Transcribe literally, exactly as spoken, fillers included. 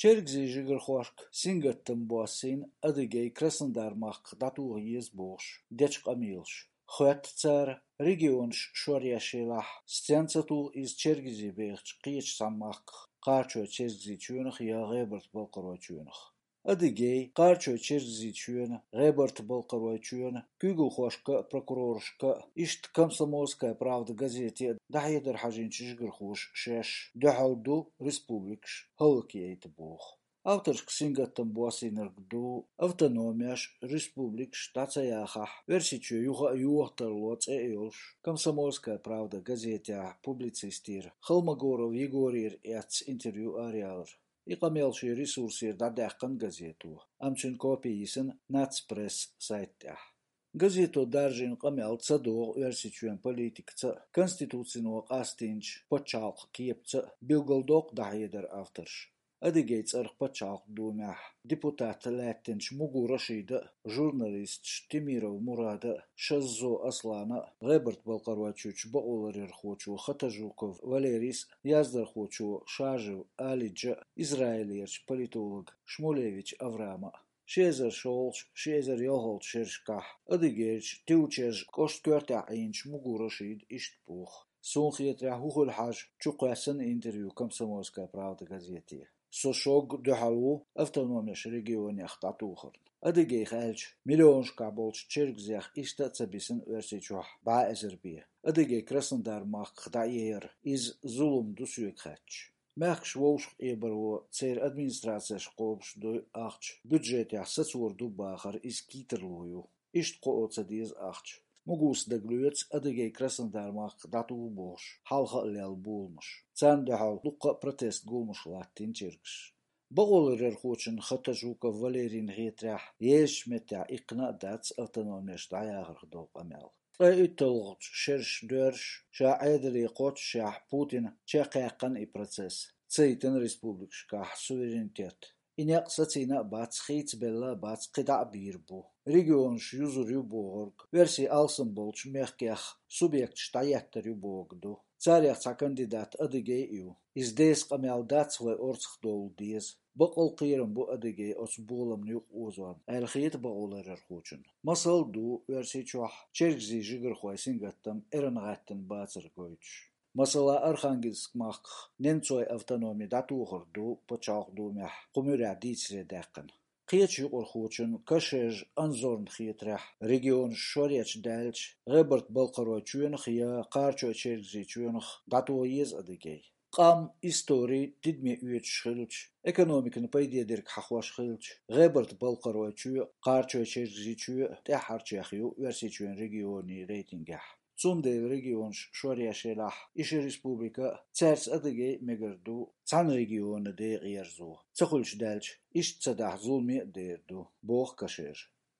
Чергазийн жигархошка сингаттам боссийна Адыгей Краснодар-махках дӀатоха еза бохуш дечу къамелаша. Хоьтту цара, регионаш шор еш елахь, стенна ца туху иза Чергазий бехачу кхечу цхьана махках, Кхарачой-Чергазийчоьнах я ГӀебарта-Балкхаройчоьнах. Адыгей, Кхарачой-Чергазийчоьнан, ГӀебарта-Балкхаройчоьнан куьйгалхошка а, прокурорашка а, иштта «Комсомольская правда» газете а дӀахьедар хьажийначу жигархоша шаьш дуьхьал ду республикаш хӀаллакъяйта боху. Авторшка сингаттам боссийнарг ду автономеш, республикаш дӀа ца яхахь, Оьрсийчоь юха а йоха тарло цӀе а йолуш, «Комсомольская правда» газетехь публицистера Холмогоров Егорера эцна интервью араялар. И къамел шен ресурсера дӀадаьккхина газето, амма цуьнан копи йисина «Нацпресс» сайта тӀехь. Газето даржийна къамел ца догӀу Оьрсийчоьнан политикаца а, Конституцино къастийначу пачхьалкхан кепаца а, билгалдоккху дӀахьедаран авторша. Адыгей цӀарах Пачхьалкхан Думехь депутат лаьттинчу Мугу Рашида а, журналисташа Темиров Мурада а, Шаззо Аслана а, ГӀебарта-Балкхаройчуьрчу бакъоларъярхочо Хатажуков Валерийс а, яздархочо Шажев Алиджа а, Израилерчу политолога Шмулевич Авраама а. Ши эзар шолгӀачу, ши эзар ялхалгӀачу шерашкахь Адыгейрчу Тивчерж кӀоштан коьртехь Ӏийначу Мугу Рашида иштта боху: «Суна хетарехь, хӀун хуьлу хьажа, чукхоьссина интервью «Комсомольская правда» газете. Со шогга дуьхьал ву автономеш регионех дӀатохарна. Адыгейх аьлча, миллионашкахь болчу чергазех иштта а ца бисина Оьрсийчохь бӀе эзар бен. Адыгей Краснодар-махках дӀаэцар, иза зулам ду соьга хаьттича. Мехкаш вовшахкъебаро церан администрацеш кхобуш ду ахча, бюджетехь сацор ду бахар, иза кийсарло ю. Иштта кхоо ца деза ахча. Мугус дагалоьцу Адыгей Краснодар-махках дӀатуху бохуш, хьалха а лелла боламаш. Царна дуьхьал дуккха а протест гуламаш латтийна чергаш». Бакъоларъярхочунна Хатажуков Валерийна хетарехь, езачу меттехь иккхина а дац автономеш дӀаяхарх долу къамел. Ткъе уьтталгӀачу шераш доьрзуш, ша Ӏедале кхоччушехь, Путина чекхъяьккхина и процесс, ца йитина республикашкахь суверенитет. И некъ сацийна а бац, хийцабелла а бац, кхин дӀа а бийр бу. Регионаш юзур ю бохург, оьрсийн алсам болчу мехкех субъекташ дӀаеттар ю бохург ду. Царех цхьа кандидат адыгей а ю. Иза деса къамел дац вай орцах довла деза. Бакъ а кхерам бу адыгей оцу боламна юкъа озорна, аьлла хета бакъоларъярхочунна. Масал а ду Оьрсийчохь чергазийн жигархойн сингаттам эрна гӀаьттина бацар гойтуш. Масала, Архангельск-махках немцойн автономи дӀатохар ду Пачхьалкхан Думехь кху муьрехь дийцаре даьккхина. Кхечу юкъархочунна Кашежа Анзорна хетарехь, регионаш шоръеш даьлча, ГӀебарта-Балкхаройчоьнах я Кхарачой-Чергазийчоьнах дӀатоха еза адыгей. Къам, истори тидаме оьцуш хилча, экономикана пайде дерг хьахош хилча, ГӀебарта-Балкхаройчоь а, Кхарачой-Чергазийчоь а тӀаьххьарчех ю Оьрсийчоьнан регионийн рейтингехь. Цундела регионаш шоръеш елахь, и ши республика а, цаьрца адыгей а мегар ду цхьана регионан декъе ерзо. Ца хуьлуш даьлча, иштта ца дахь зуламе а дер ду, боху Кашежа.